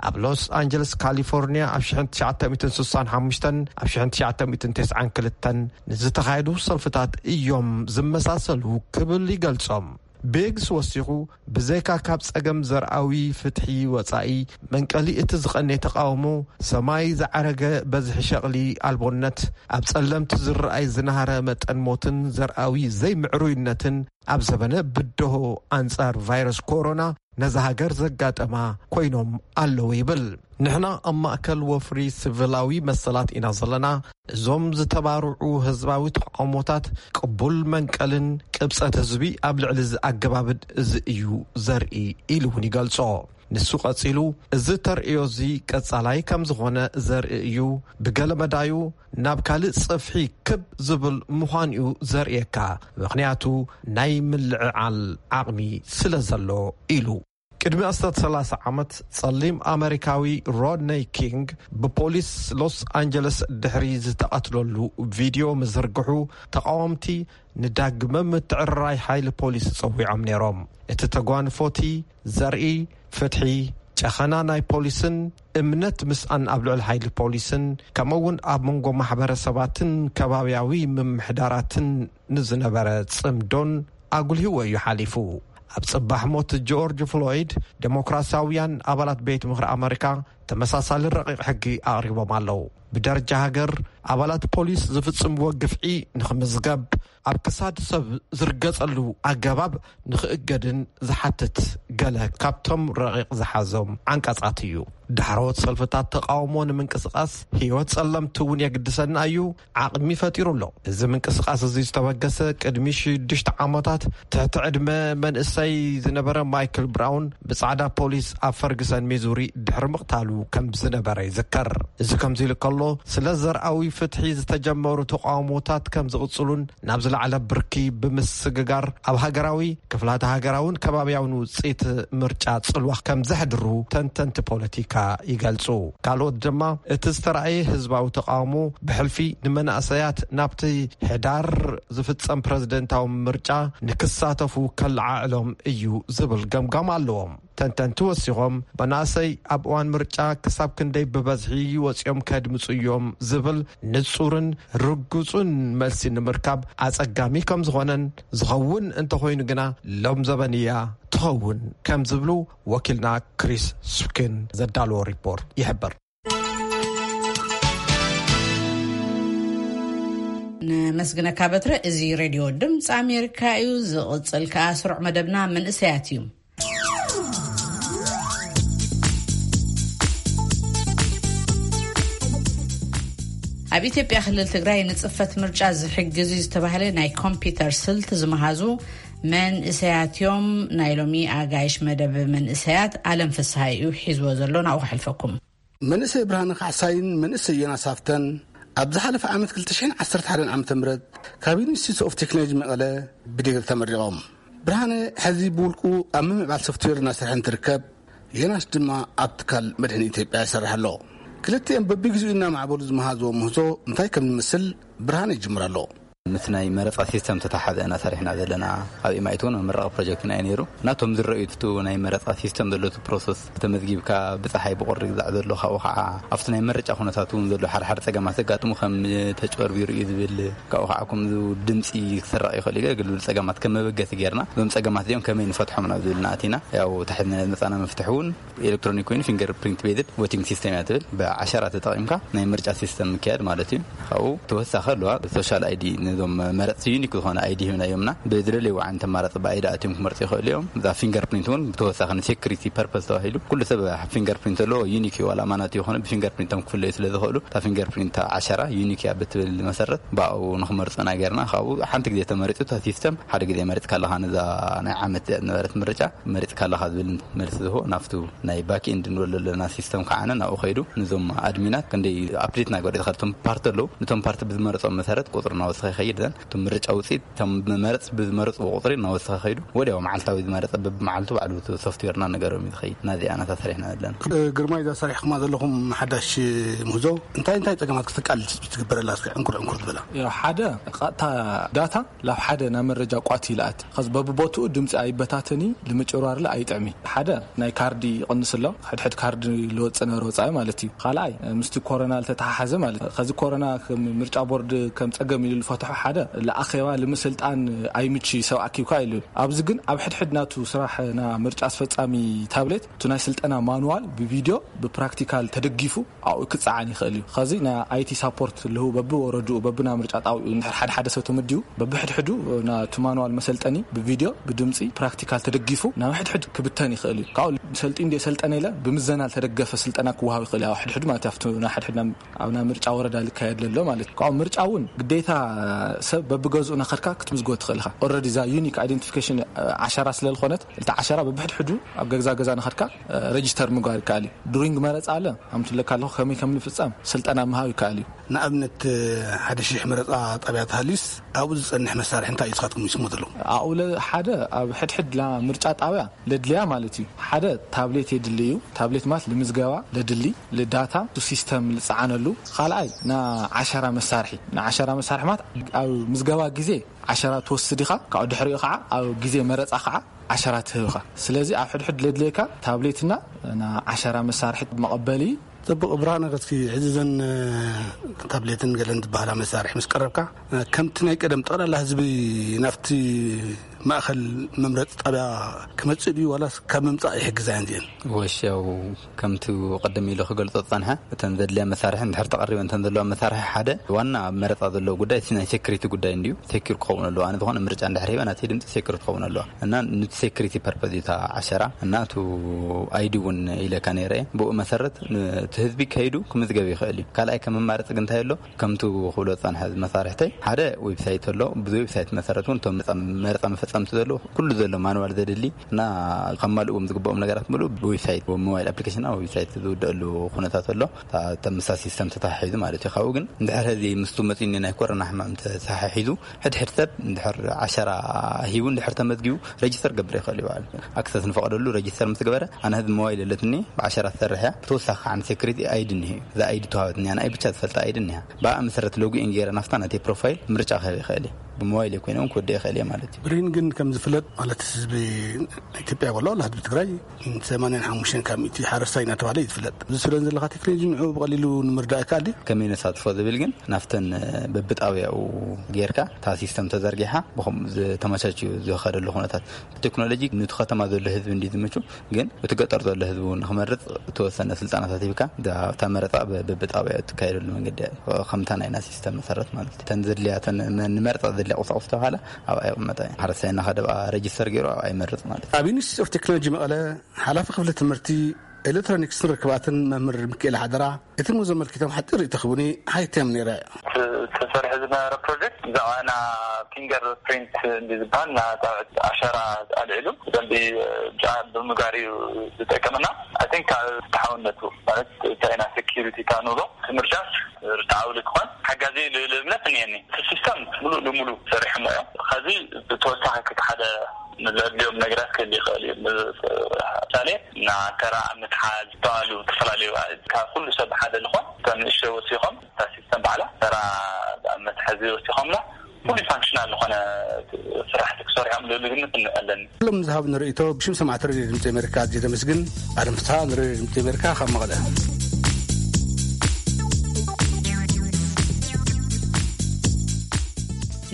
ኣብ ሎስ ኣንጀለስ ካሊፎርኒያ ኣብ ሽሕን ትሽዓተ ሚእትን ስሳን ሓሙሽተን ኣብ ሽሕን ትሽዓተ ሚእትን ተስዓን ክልተን ንዝተኻየዱ ሰልፍታት እዮም ዝመሳሰሉ ክብል ይገልጾም። ቤግስ ወሲኹ፣ ብዘይካ ካብ ጸገም ዘርኣዊ ፍትሒ ወጻኢ፣ መንቀሊ እቲ ዝቐነ ተቃውሞ ሰማይ ዝዓረገ በዝሒ ሸቕሊ ኣልቦነት፣ ኣብ ጸለምቲ ዝረኣይ ዝናሃረ መጠን ሞትን ዘርኣዊ ዘይምዕሩይነትን ኣብ ዘበነ ብድሆ ኣንጻር ቫይረስ ኮሮና ነዛ ሃገር ዘጋጠማ ኮይኖም ኣለዉ ይብል። ንሕና ኣብ ማእከል ወፍሪ ሲቪላዊ መሰላት ኢና ዘለና። እዞም ዝተባርዑ ህዝባዊ ተቃውሞታት ቅቡል መንቀልን ቅብጸት ህዝቢ ኣብ ልዕሊ እዚ ኣገባብን እዚ እዩ ዘርኢ ኢሉ እውን ይገልጾ። ንሱ ቀጺሉ፣ እዚ ተርእዮ እዚ ቀጻላይ ከም ዝኾነ ዘርኢ እዩ። ብገለ መዳዩ ናብ ካልእ ጽፍሒ ክብ ዝብል ምዃኑ'ዩ ዘርእየካ፣ ምኽንያቱ ናይ ምልዕዓል ዓቕሚ ስለ ዘሎ ኢሉ። ቅድሚ ኣስታት ሰላሳ ዓመት ጸሊም ኣመሪካዊ ሮድነይ ኪንግ ብፖሊስ ሎስ ኣንጀለስ ድሕሪ ዝተቐትለሉ ቪድዮ ምዝርግሑ ተቓወምቲ ንዳግመ ምትዕርራይ ሓይሊ ፖሊስ ጸዊዖም ነይሮም። እቲ ተጓንፎቲ ዘርኢ ፍትሒ፣ ጨኸና ናይ ፖሊስን እምነት ምስኣን ኣብ ልዕሊ ሓይሊ ፖሊስን ከምኡ እውን ኣብ መንጎ ማሕበረሰባትን ከባብያዊ ምምሕዳራትን ንዝነበረ ጽምዶን ኣጉልህዎ እዩ ሓሊፉ። ኣብ ጽባሕ ሞት ጆርጅ ፍሎይድ፣ ዴሞክራሲያውያን ኣባላት ቤት ምኽሪ ኣመሪካ ተመሳሳሊ ረቂቕ ሕጊ ኣቕሪቦም ኣለዉ። ብደረጃ ሃገር፣ ኣባላት ፖሊስ ዝፍጽምዎ ግፍዒ ንኽምዝገብ፣ ኣብ ክሳድ ሰብ ዝርገጸሉ ኣገባብ ንኽእገድን ዝሓትት ገለ ካብቶም ረቂቕ ዝሓዞም ዓንቀጻት እዩ። ዳሕረዎት ሰልፍታት ተቃውሞ ንምንቅስቃስ ህይወት ጸለምቲ እውን የግድሰና እዩ ዓቕሚ ፈጢሩ ኣሎ። እዚ ምንቅስቃስ እዚ ዝተበገሰ ቅድሚ ሽዱሽተ ዓመታት ትሕቲ ዕድመ መንእሰይ ዝነበረ ማይክል ብራውን ብጻዕዳ ፖሊስ ኣብ ፈርግሰን ሚዙሪ ድሕሪ ምቕታሉ ከም ዝነበረ ይዝከር። እዚ ከምዚ ኢሉ ከሎ፣ ስለ ዘርኣዊ ፍትሒ ዝተጀመሩ ተቃውሞታት ከም ዝቕጽሉን ናብ ዝለዓለ ብርኪ ብምስግጋር ኣብ ሃገራዊ፣ ክፍላተ ሃገራውን ከባብያውን ውጽኢት ምርጫ ጽልዋ ከም ዘሕድሩ ተንተንቲ ፖለቲካ ይገልጹ። ካልኦት ድማ እቲ ዝተራእየ ህዝባዊ ተቃውሞ ብሕልፊ ንመናእሰያት ናብቲ ሕዳር ዝፍጸም ፕረዚደንታዊ ምርጫ ንክሳተፉ ከለዓዕሎም እዩ ዝብል ገምጋም ኣለዎም። ተንተንቲ ወሲኾም፣ መናእሰይ ኣብ እዋን ምርጫ ክሳብ ክንደይ ብበዝሒ ወጺኦም ከድምጹ እዮም ዝብል ንጹርን ርጉጹን መልሲ ንምርካብ ኣጸጋሚ ከም ዝኾነን፣ ዝኸውን እንተኾይኑ ግና ሎም ዘበን እያ ትኸውን ከም ዝብሉ ወኪልና ክሪስ ስኪን ዘዳለዎ ሪፖርት ይሕብር። ነመስግነካ በትረ። እዚ ሬድዮ ድምፂ ኣሜሪካ እዩ። ዝቕፅል ከዓ ስሩዕ መደብና መንእሰያት እዩ። ኣብ ኢትዮጵያ ክልል ትግራይ ንፅፈት ምርጫ ዝሕግዝ እዩ ዝተባህለ ናይ ኮምፒውተር ስልት ዝመሃዙ መንእሰያት እዮም። ናይ ሎሚ ኣጋይሽ መደብ መንእሰያት ኣለም ፍስሃ እዩ ሒዝዎ ዘሎ። ናብኡ ከሕልፈኩም። መንእሰይ ብርሃነ ካሕሳይን መንእሰይ ዮናስ ሃፍተን ኣብ ዝሓለፈ ዓመት ክልተ ሽሕን ዓሰርተ ሓደን ዓመተ ምህረት ካብ ዩኒቨርሲቲ ኦፍ ቴክኖሎጂ መቐለ ብዲግሪ ተመሪቖም። ብርሃነ ሕዚ ብውልቁ ኣብ ምምዕባል ሶፍትዌር እናሰርሐ እንትርከብ፣ ዮናስ ድማ ኣብ ትካል መድሕን ኢትዮጵያ ይሰርሕ ኣሎ። ክልቲኦም በቢግዚኡ እናማዕበሉ ዝመሃዝዎ ምህዞ እንታይ ከም ዝመስል ብርሃነ ይጅምር ኣሎ። ምስ ናይ መረጻ ሲስተም ተተሓዘ ኢና ሰሪሕና ዘለና። ኣብ ኤምኣይቲ እውን መመረቒ ፕሮጀክትና እዩ ነይሩ። ናቶም ዝረኣዩ እቲ ናይ መረጻ ሲስተም ዘሎ እቲ ፕሮሰስ፣ ተመዝጊብካ ብጸሓይ ብቑሪ ግዛዕ ዘሎ፣ ካብኡ ከዓ ኣብቲ ናይ መረጫ ኩነታት እውን ዘሎ ሓድሓደ ጸገማት ዘጋጥሙ፣ ከም ተጭበርቢሩ እዩ ዝብል፣ ካብኡ ከዓ ከምዚ ድምፂ ክስረቕ ይኽእል እዩ፣ ገለ ጸገማት ከም መበገሲ ጌርና፣ እዞም ጸገማት እዚኦም ከመይ ንፈትሖም ናብ ዝብል ናእቲና። ያው ተሓዝና ዝመጻና መፍትሒ እውን ኤሌክትሮኒክ ኮይኑ ፊንገር ፕሪንት ቤዝድ ቮቲንግ ሲስተም እያ ትብል። ብዓሸራ ተጠቒምካ ናይ ምርጫ ሲስተም ምክያድ ማለት እዩ። ካብኡ ተወሳኺ ኣለዋ ሶሻል ኣይዲ እዞም መረፅቲ ዩኒክ ዝኾነ ኣይዲ ሂብና እዮምና። ብዝደለይዎ ዓይነት ኣማራፂ ብኣይዲ ኣትዮም ክመርፁ ይኽእሉ እዮም። እዛ ፊንገር ፕሪንት እውን ብተወሳኺ ንሴኩሪቲ ፐርፐስ ተባሂሉ ኩሉ ሰብ ፊንገር ፕሪንት ዘለዎ ዩኒክ እዩ። ዋላ ኣማናት ይኾነ ብፊንገር ፕሪንቶም ክፍለዩ ስለ ዝኽእሉ እታ ፊንገር ፕሪንት ዓሸራ ዩኒክ እያ ብትብል መሰረት ብኣኡ ንኽመርፁና ጌርና። ካብኡ ሓንቲ ግዜ ተመሪፁ እታ ሲስተም ሓደ ግዜ መሪፅካ ኣለኻ። ነዛ ናይ ዓመት ዝነበረት ምርጫ መሪፅካ ኣለኻ ዝብል መልሲ ዝህቦ ናብቱ ናይ ባክ ኤንድ ንብሎ ዘለና ሲስተም ከዓነ ናብኡ ከይዱ ንዞም ኣድሚናት ክንደይ ኣፕዴት ናገሩ ይትኸል። እቶም ፓርቲ ኣለዉ፣ ነቶም ፓርቲ ብዝመረፆም መሰረት ቁፅሪ እናወሰኸ ይኸይድ። ዘን እቶም ምርጫ ውፅኢት እቶም መመረፅ ብዝመረፅዎ ቁፅሪ እናወሰኸ ከይዱ ወዲያው መዓልታዊ ዝመረፀ በብመዓልቱ ባዕሉ እቲ ሶፍትዌርና ነገሮም እዩ ዝኸይድ። ናዚ ኣናታ ሰሪሕና ዘለና። ግርማይ፣ እዛ ሰሪሕኩማ ዘለኹም ሓዳሽ ምህዞ እንታይ እንታይ ፀገማት ክተቃልል ትግበረላ? እስኪ ዕንኩር ዕንኩር ዝበላ። ያው ሓደ ቀጥታ ዳታ ላብ ሓደ ናብ መረጃ ቋት ይልኣት። ከዚ በብቦትኡ ድምፂ ኣይበታተኒ፣ ንምጭርባርለ ኣይጥዕሚ። ሓደ ናይ ካርዲ ይቕንስ ኣሎ፣ ሕድሕድ ካርዲ ልወፅእ ነበረ ወፃኢ ማለት እዩ። ካልኣይ ምስቲ ኮሮና ልተተሓሓዘ ማለት እዩ። ከዚ ኮሮና ከም ምርጫ ቦርድ ከም ፀገም ኢሉ ልፈትሖ ሓደ ለኣኼባ ልምስልጣን ኣይምች ሰብ ኣኪብካ ኢሉ። ኣብዚ ግን ኣብ ሕድሕድ ናቱ ስራሕ ና ምርጫ ኣስፈፃሚ ታብሌት እቲ ናይ ስልጠና ማኑዋል ብቪድዮ ብፕራክቲካል ተደጊፉ ኣብኡ ክጸዓን ይኽእል እዩ። ኸዚ ናይ ኣይቲ ሳፖርት ልህቡ በብወረድኡ በብና ምርጫ ጣውኡ እንድሕር ሓደ ሓደ ሰብ ተመዲቡ በብሕድሕዱ ናቲ ማኑዋል መሰልጠኒ ብቪድዮ ብድምፂ ፕራክቲካል ተደጊፉ ናብ ሕድሕድ ክብተን ይኽእል እዩ። ካብኡ ሰልጢ እንደ ሰልጠነ ኢለ ብምዘና ዝተደገፈ ስልጠና ክወሃብ ይኽእል እዩ። ኣብ ሕድሕድ ማለት ኣብቲ ናይ ሕድሕድ ናብ ኣብ ናይ ምርጫ ወረዳ ልካየድ ለሎ ማለት እዩ። ካብኡ ምርጫ እውን ግዴታ ሰብ በብገዝኡ ናኸድካ ክትምዝጎ ትኽእል ኢኻ። ኦረዲ እዛ ዩኒክ ኣይደንቲፊኬሽን ዓሸራ ስለ ዝኾነት እልቲ ዓሸራ በብሕድሕዱ ኣብ ገዛ ገዛ ናኸድካ ረጅስተር ምግባር ይከኣል እዩ። ዱሪንግ መረፃ ኣለ ኣምትለካ ኣለኹ ከመይ ከም ንፍፀም ስልጠና ምሃብ ይከኣል እዩ። ንኣብነት ሓደ ሽሕ መረፃ ጣብያ ተሃልዩስ ኣብኡ ዝፀንሕ መሳርሒ እንታይ እዩ ስኻትኩም ይስሞ ዘለኹም? ኣብኡ ለ ሓደ ኣብ ሕድሕድ ላ ምርጫ ጣብያ ለድልያ ማለት እዩ። ሓደ ታብሌት የድሊ እዩ። ታብሌት ማለት ልምዝገባ ለድሊ ልዳታ ቱ ሲስተም ልፀዓነሉ። ካልኣይ ንዓሸራ መሳርሒ ንዓሸራ መሳርሒ ማለት ኣብ ምዝገባ ግዜ ዓሸራ ትወስድ ኢኻ። ካብኡ ድሕሪኡ ከዓ ኣብ ግዜ መረፃ ከዓ ዓሸራ ትህብኻ። ስለዚ ኣብ ሕድሕድ ለድልየካ ታብሌትና ንዓሸራ መሳርሒ መቐበሊ። ጽቡቕ ብርሃነ፣ ከስኪ ሕዚ ዘን ታብሌትን ገለን ዝበሃላ መሳርሒ ምስ ቀረብካ ከምቲ ናይ ቀደም ጠቕላላ ህዝቢ ናብቲ ማእኸል መምረፂ ጣብያ ክመፅእ ድዩ ዋላስ ካብ ምምፃእ ይሕግዛ እየን እዚአን? ወሻው ከምቲ ቅድም ኢሉ ክገልጾ ዝጸንሐ እተን ዘድልያ መሳርሒ እንድሕር ተቐሪበ እንተን ዘለዋ መሳርሒ ሓደ ዋና ኣብ መረፃ ዘለዎ ጉዳይ እቲ ናይ ሴኩሪቲ ጉዳይ እንድዩ። ሴኩር ክኸውን ኣለዎ። ኣነ ዝኾነ ምርጫ እንድሕር ሂበ ናተይ ድምፂ ሴኩር ክኸውን ኣለዋ እና ንቲ ሴኩሪቲ ፐርፐዝ እዩ እታ ዓሸራ እና እቲ ኣይዲ እውን ኢለካ ነይረ እየ። ብኡ መሰረት እቲ ህዝቢ ከይዱ ክምዝገብ ይኽእል እዩ። ካልኣይ ከም መማረፂ ግን እንታይ ኣሎ? ከምቲ ክብሎ ዝፀንሐ መሳርሕተይ ሓደ ዌብሳይት ኣሎ። ብዚ ዌብሳይት መሰረት እውን እቶም መረፃ መፈፀምቲ ዘለዉ ኩሉ ዘሎ ማንዋል ዘድሊ እና ከማልእዎም ዝግብኦም ነገራት ምሉእ ብዌብሳይት ብሞባይል ኣፕሊኬሽን ኣብ ዌብሳይት ዝውደአሉ ኩነታት ኣሎ። እታ ተምሳ ሲስተም ተተሓሒዙ ማለት እዩ። ካብኡ ግን እንድሕር ሕዚ ምስቱ መፂኒ ናይ ኮሮና ሕማም ተተሓሒዙ ሕድሕድ ሰብ እንድሕር ዓሸራ ሂቡ እንድሕር ተመዝጊቡ ረጅስተር ገብር ይኽእል እዩ። በዓል ኣክሰስ ንፈቐደሉ ረጅስተር ምስ ገበረ ኣነ ሕዚ ሞባይል የለትኒ ብዓሸራ ትሰርሕ እያ። ብተወሳኺ ከዓ ንሴኩሪቲ ኣይዲ እኒሀ እዩ። እዛ ኣይዲ ተዋህበትኒ ኣነ ኣይ ብቻ ዝፈልጣ ኣይዲ እኒሃ ብኣ መሰረት ሎጊ ኢን ገይረ ናፍታ ናተይ ፕሮፋይል ምርጫ ክህብ ይኽእል እየ። ብሞባይል ኮይነ እውን ክወድእ ይኽእል እየ ማለት እዩ። ብርሂን ግን ከም ዝፍለጥ ማለት ህዝቢ ኢትዮጵያ ወላ ወላ ህዝቢ ትግራይ ሰማንያን ሓሙሽተን ካብ ሚእቲ ሓረስታይ እናተባሃለ እዩ ዝፍለጥ። እዚ ትብለን ዘለካ ቴክኖሎጂ ንዕኡ ብቐሊሉ ንምርዳእ ይከኣል ድዩ? ከመይ ነሳትፎ ዝብል ግን ናፍተን በብጣብያኡ ጌርካ እታ ሲስተም ተዘርጊሓ ብኸምኡ ዝተመቻችዩ ዝኸደሉ ኩነታት ቴክኖሎጂ ነቲ ከተማ ዘሎ ህዝቢ እንዲ ዝምቹ ግን እቲ ገጠር ዘሎ ህዝቢ እውን ንክመርፅ እተወሰነ ስልጠናታት ሂብካ እታ መረፃ በብጣብያ እትካየደሉ መንገዲ ከምታ ናይና ሲስተም መሰረት ማለት እዩ። እተን ዘድልያ እተን ንመርፃ ዘድልያ ቁሳቁስ ተባሃለ ኣብኣ ይቕመጣ እዩ። ሓረስታይ እናኸደ ብኣ ረጅስተር ገይሩ ኣብኣ ይመርፅ ማለት እዩ። ኣብ ዩኒቨርሲቲ ኦፍ ቴክኖሎጂ መቐለ ሓላፊ ክፍሊ ትምህርቲ ኤሌክትሮኒክስን ርክባትን መምህር ሚካኤል ሓደራ እቲ ምህዞ ኣመልኪቶም ሓፂር ርእይቶ ክህቡኒ ሓቲቶም ነይረ። ተሰርሐ ዝነበረ ፕሮጀክት ብዛዕባ ና ፊንገር ፕሪንት እንዲ ዝበሃል ና ኣሻራ ኣልዒሉ ብደንቢ ብጫ ብምጋር እዩ ዝጠቀምና። ኣይ ቲንክ ተሓውነቱ ማለት እንታይ ኢና ሴኪሪቲ ካ ንብሎ እቲ ምርጫ ርትዓዊ ልክኾን ሓጋዚ ልብል እምነት እኒአኒ። እቲ ሲስተም ሙሉእ ንሙሉእ ሰሪሖሞ እዮም። ከዚ ብተወሳኺ ክቲ ሓደ ንዘድልዮም ነገራት ክህል ይኽእል እዩ። ምሳሌ ና ተራ ኣብ ምትሓዝ ዝተባሉ ዝተፈላለዩ ካብ ኩሉ ሰብ ሓደ ዝኾን እቶም ንእሽተይ ወሲኾም እታ ሲስተም ባዕላ ተራ ኣብ መትሓዚ ወሲኾምላ ሙሉ ፋንክሽናል ዝኾነ ስራሕቲ ክሰርሖም ልብል ግምት ኣለኒ። ኩሎም ዝሃብ ንርእይቶ ብሽም ሰማዕቲ ሬድዮ ድምፂ ኣሜሪካ ኣዝየ ዘመስግን። ኣለም ፍትሃ ንሬድዮ ድምፂ ኣሜሪካ ካብ መቐለ።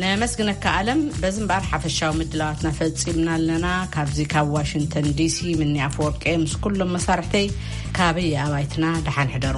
ነመስግነካ ኣለም። በዚ እምበኣር ሓፈሻዊ ምድላዋትና ፈጺምና ኣለና። ካብዚ ካብ ዋሽንግተን ዲሲ ምኒ ኣፈወርቂ ምስ ኩሎም መሳርሕተይ ካበይ ኣባይትና ደሓን ሕደሩ።